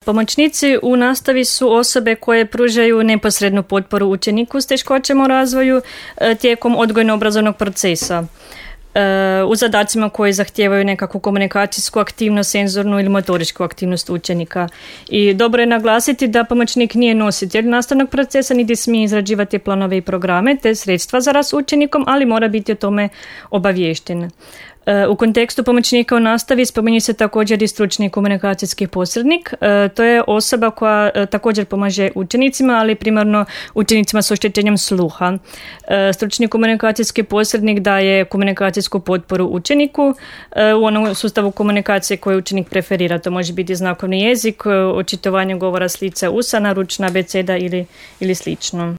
Pomoćnici u nastavi su osobe koje pružaju neposrednu potporu učeniku s teškoćama u razvoju tijekom odgojno-obrazovnog procesa u zadacima koji zahtijevaju nekakvu komunikacijsku aktivnost, senzornu ili motoričku aktivnost učenika. I dobro je naglasiti da pomoćnik nije nositelj nastavnog procesa, niti smije izrađivati planove i programe te sredstva za rad s učenikom, ali mora biti o tome obaviješten. U kontekstu pomoćnika u nastavi spominje se također i stručni komunikacijski posrednik. To je osoba koja također pomaže učenicima, ali primarno učenicima s oštećenjem sluha. Stručni komunikacijski posrednik daje komunikacijsku potporu učeniku u onom sustavu komunikacije koji učenik preferira. To može biti znakovni jezik, očitovanje govora s lica usana, ručna abeceda ili slično.